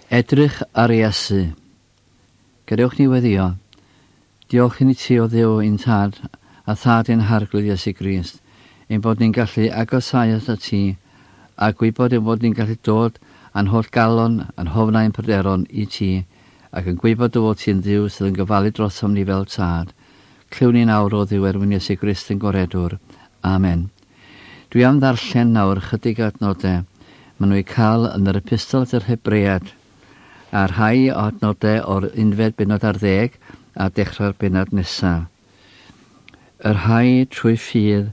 Edrych ar Iesu. Gadewch ni weddio. Diolch i ni ti o Dduw ein Tad a Thad ein Harglwydd Iesu Grist, ein bod ni'n gallu agosáu atat ti a gwybod ein bod ni'n gallu dod â'n holl galon a'n hofnau a'n pryderon i ti ac yn gwybod dy fod ti'n Dduw sydd yn gofalu drosom ni fel Tad. Clywn ni'n awr o Dduw er mwyn Iesu Grist ein Gwaredwr. Amen. Dwi am ddarllen nawr chydig o adnodau maen nhw eu cael yn yr Epistol at yr Hebread, a rhai o adnodau o'r unfed bennod ar ddeg a dechrau'r bennod nesaf. Y rhai trwy ffydd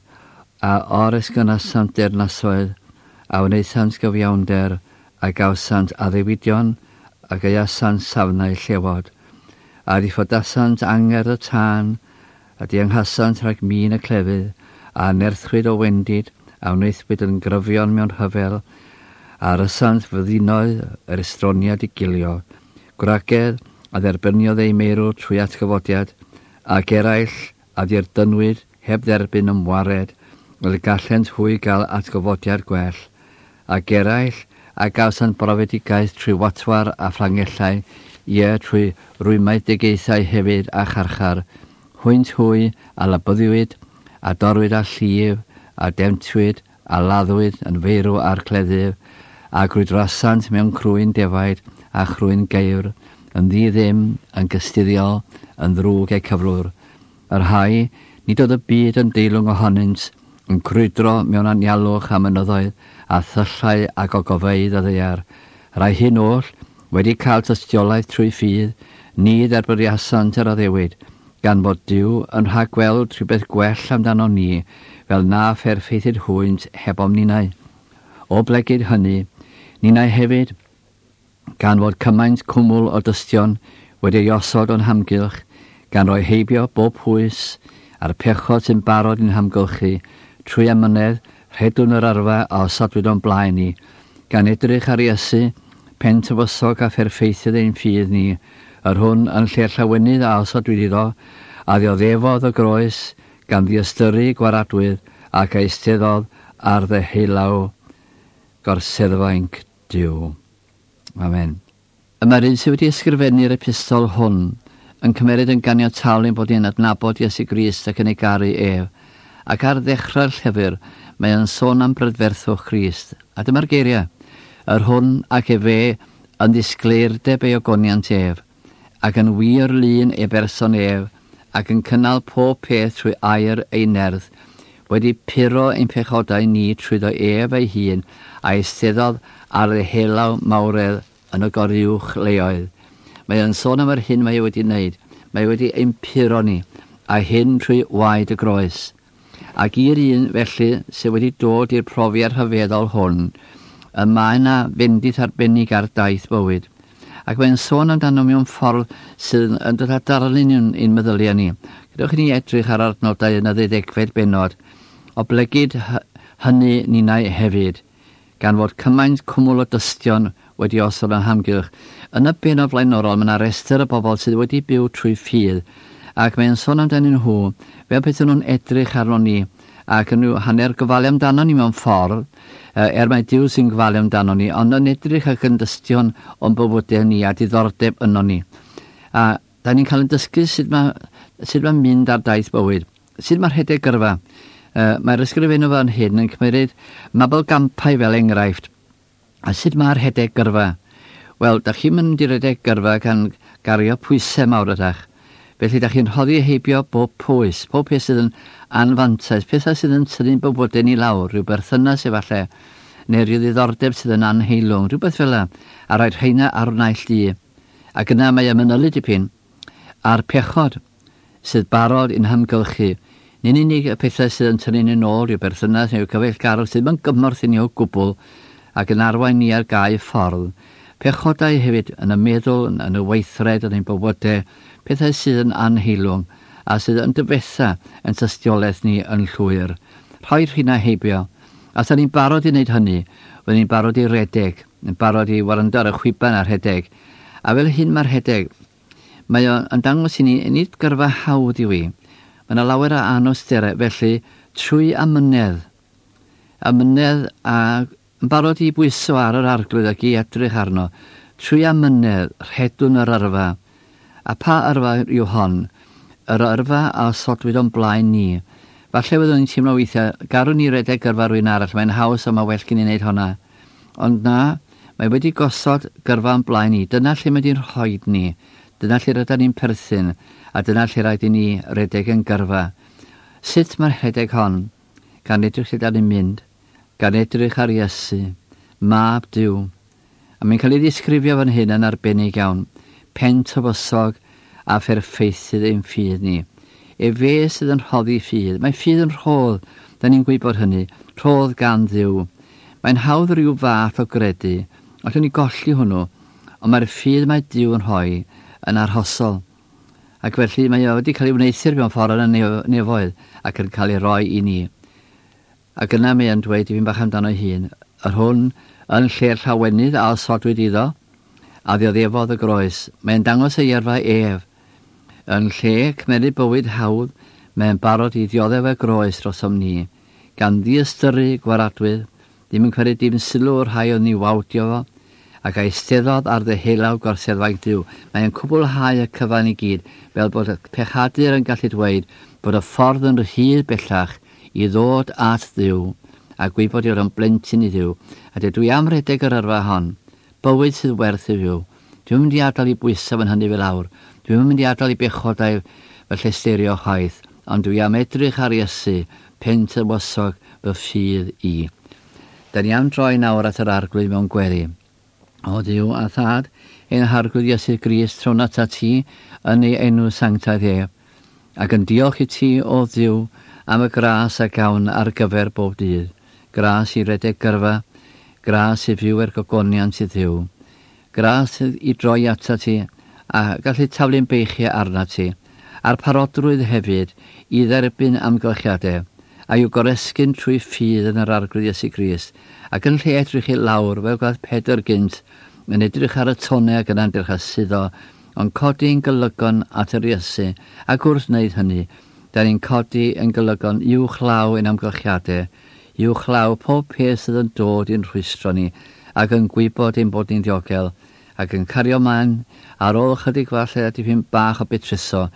a oresgynasant deyrnasoedd, a wnaethant gyfiawnder, a gawsant addewidion, a gaeasant safnau llewod, a ddiffodasant angerdd y tân, A dianghasant rhag min y clefyd, a anerthwyd o wendid, a wnaethpwyd yn gryfion mewn rhyfel, a rysant fyddinoedd yr estroniad i gilio, gwragedd a dderbyniodd eu meirw trwy atgyfodiad, ac eraill a ddirdynwyd heb dderbyn ymwared, fel y gallent hwy gael atgyfodiad gwell, ac eraill a gawsant brofedigaeth trwy watwar a fflangellau, ie, trwy rwymedigaethau hefyd a charchar, hwynt hwy a labyddiwyd, a dorrwyd â llif, a demtwyd, a laddwyd yn feirw â'r cleddyf, a grwydrasant mewn crwyn defaid a chrwyn geifr, yn ddi-ddim, yn gystuddiol, yn ddrwg eu cyflwr. Y rhai, nid oedd y byd yn deilwng ohonynt, yn crwydro mewn anialwch a mynyddoedd, a thyllau a gogofeydd y ddaear. Rhai hyn oll, wedi cael tystiolaeth trwy ffydd, ni dderbyniasant yr addewid, gan fod Duw yn rhagweld rhywbeth gwell amdanom ni, fel na pherffeithid hwynt hebom ninnau. O blegid hynny, ninnau hefyd, gan fod cymaint cwmwl o dystion wedi ei osod o'n hamgylch, gan roi heibio bob pwys a'r pechod sy'n barod i'n hamgylchu, trwy amynedd, rhedwn yr yrfa a osodwyd o'n blaen ni, gan edrych ar Iesu, pen tywysog a pherffeithydd ein ffydd ni, yr hwn, yn lle'r llawenydd a osodwyd iddo, a ddioddefodd y groes, gan ddiystyru gwaradwydd, ac a eisteddodd ar ddeheulaw gorseddfainc Duw. Amen. Y mae'r un sydd wedi ysgrifennu'r epistol hwn yn cymeryd yn ganiataol ein bod ni'n adnabod Iesu Grist ac yn ei garu ef, ac ar ddechrau'r llyfr mae o'n sôn am brydferthwch Crist. A dyma'r geiriau, Yr hwn ac efe yn ddisgleirdeb ei ogoniant ef, ac yn wir lun ei berson ef, ac yn cynnal pob peth trwy air ei nerth, wedi puro ein pechodau ni trwyddo ef ei hun, a eisteddodd ar ddeheullaw mawredd yn y goruwch leoedd. Mae o'n sôn am yr hyn mae e wedi wneud. Mae e wedi ein puro ni, a hyn trwy waed y groes. Ac i'r un, felly, sydd wedi dod i'r profiad rhyfeddol hwn, y mae yna fendith arbennig ar daith bywyd. Ac mae'n sôn amdano mewn ffordd sydd yn dod â darlun i'n, i'n meddyliau ni. Gadewch i ni edrych ar adnodau yn y ddeuddegfed bennod, oblegid hynny ninnau hefyd, gan fod cymaint cwmwl o dystion wedi osod o'n hamgylch. Yn y bennod flaenorol mae yna restr o bobl sydd wedi byw trwy ffydd, ac mae'n sôn amdanyn nhw fel petaen nhw'n edrych arnon ni ac yn rhyw hanner gofalu amdanon ni mewn ffordd, er mai Duw sy'n gofalu amdanon ni, ond yn edrych ac yn dystion o'n bywydau ni a diddordeb ynon ni. A Da ni'n cael ein dysgu sut mae, sut mae mynd ar daith bywyd, sut mae rhedeg gyrfa. Uh, mae'r ysgrifennu fan hyn yn cymryd mabolgampau fel enghraifft. A sut mae rhedeg gyrfa? Wel, da chi'n mynd i redeg gyrfa gan gario pwysau mawr ydach. Felly, da chi'n rhoddi heibio bob pwys, pob peth sydd yn anfantais, pethau sydd yn tynnu'n bywydau ni lawr, rhyw berthynas efallai, neu rhyw ddiddordeb sydd yn anheilwng, rhywbeth fel yna, a rhaid rheina ar naill du. Ac yna mae y manylu dipyn a'r pechod sydd barod i'n hamgylchu, nid yn unig y pethau sydd yn tynnu ni'n ôl rhyw berthynas neu cyfeillgarwch sydd ddim yn gymorth i ni o gwbl ac yn arwain ni ar gau ffordd, pechodau hefyd yn y meddwl, yn y weithred, yn ein bywydau, pethau sydd yn anheilwng a sydd yn dyfetha yn tystiolaeth ni yn llwyr. Rhoi rhina heibio. A 'sa ni'n barod i wneud hynny, fydden ni'n barod i redeg. Yn barod i wrando ar y chwiban a rhedeg. A fel hyn mae rhedeg. Mae o yn dangos i ni, nid gyrfa hawdd yw i. Mae yna lawer o anawsterau, felly trwy amynedd, amynedd a yn barod i bwyso ar yr arglwydd ac i edrych arno, Trwy amynedd, rhedwn yr yrfa. A pa yrfa yw hon? Yr yrfa a osodwyd o'n blaen ni. Falle fyddwn ni'n teimlo weithiau, garwn ni redeg gyrfa rhywun arall, mae'n haws a mae well gen i wneud honna. Ond na, mae wedi gosod gyrfa o'n blaen ni. Dyna lle mae wedi'n rhoi ni. Dyna lle rydyn ni'n perthyn, a dyna lle rhaid i ni redeg yn gyrfa. Sut mae'r rhedeg hon? Gan edrych lle da ni'n mynd, gan edrych ar Iesu, Mab Duw. A mae'n cael ei ddisgrifio fan hyn yn arbennig iawn, pen tywysog a pherffeithydd ein ffydd ni. Efe sydd yn rhoddi ffydd. Mae ffydd yn rhodd, da ni'n gwybod hynny, rhodd gan Dduw. Mae'n hawdd rhyw fath o gredu, allwn ni golli hwnnw, ond mae'r ffydd mae Duw yn rhoi yn arhosol. Ac felly mae o wedi cael ei wneuthur mewn ffordd yn y nefoedd ac yn cael ei roi i ni. Ac yna mae e'n dweud dipyn bach amdano ei hun, yr hwn yn lle'r llawenydd a osodwyd iddo, a ddioddefodd y groes. Mae'n dangos ei yrfa ef. Yn lle cymeryd bywyd hawdd, mae'n barod i ddioddef y groes drosom ni, gan ddiystyru gwaradwydd, ddim yn cymryd dim sylw o'r rhai oedd ni wawdio fo, ac eisteddodd ar ddeheulaw gorseddfainc Duw. Mae'n cwblhau y cyfan i gyd, fel bod y pechadur yn gallu dweud bod y ffordd yn rhydd bellach i ddod at Dduw, a gwybod ei fod o'n blentyn i Dduw. A dydw i am redeg yr yrfa hon. Bywyd sydd werth ei fyw. Dwi'm yn mynd i adael i bwysau fy nhynnu fi lawr. Dwi'm yn mynd i adael i bechodau fy llesteirio chwaith, ond dwi am edrych ar Iesu, pen tywysog fy ffydd i. Da ni am droi nawr at yr Arglwydd mewn gweddi. O Dduw a Thad, ein Harglwydd Iesu Grist, trown atat ti yn ei enw sanctaidd ef, ac yn diolch i ti, o Dduw, am y gras a gawn ar gyfer bob dydd. Gras i redeg gyrfa, gras i fyw er gogoniant i Dduw. Gras i droi atat ti a gallu taflu'n beichiau arnat ti, a'r parodrwydd hefyd i dderbyn amgylchiadau, a i'w goresgyn trwy ffydd yn yr Arglwydd Iesu Grist, ac yn lle edrych i lawr fel gwnaeth Pedr gynt, yn edrych ar y tonnau ac yna'n dechrau suddo, ond codi'n golygon at yr Iesu, ac wrth wneud hynny, da ni'n codi yn golygon uwchlaw ein amgylchiadau, uwchlaw pob peth sydd yn dod i'n rhwystro ni, ac yn gwybod ein bod ni'n ddiogel, ac yn cario mlaen ar ôl chydig falle a dipyn bach o betruso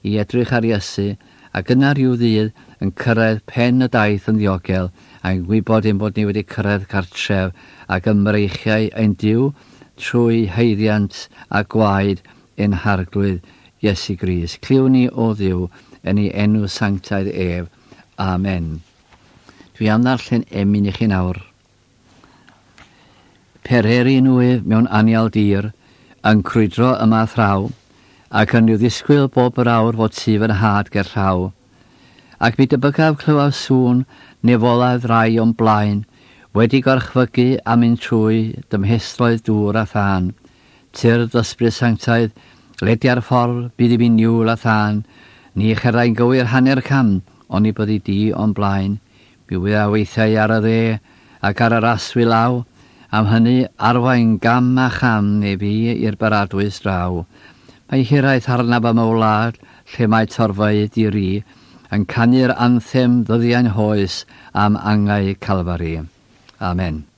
i edrych ar Iesu, ac yna rhyw ddydd yn cyrraedd pen y daith yn ddiogel, a'n gwybod ein bod ni wedi cyrraedd cartref ac ym mreichiau ein Duw trwy haeddiant a gwaed ein Harglwydd Iesu Grist. Clywn ni o Dduw yn ei enw sanctaidd ef. Amen. Dwi am ddarllen emyn i chi nawr. Pererin wyf mewn anial dir, yn crwydro yma thraw, ac yn rhyw ddisgwyl bob yr awr fod tu fy nhad ger llaw. Ac mi debygaf clywaf sŵn nefolaidd rai o'm blaen, wedi gorchfygu a mynd trwy dymhesloedd dŵr a thân. Tyrd ysbryd sanctaidd, ledia'r ffordd, bydd i mi niwl a thân, ni cherddai'n gywir hanner cam, oni byddi di o'm blaen. Mi wyddaf weithiau ar y dde, ac ar yr aswy law, am hynny arwain gam a cham neu fi i'r baradwys draw. Mae hiraeth arnaf am y wlad, lle mae torfeydd di-ri, yn canu'r anthem ddyddiau'n hoes am angau Calfari. Amen.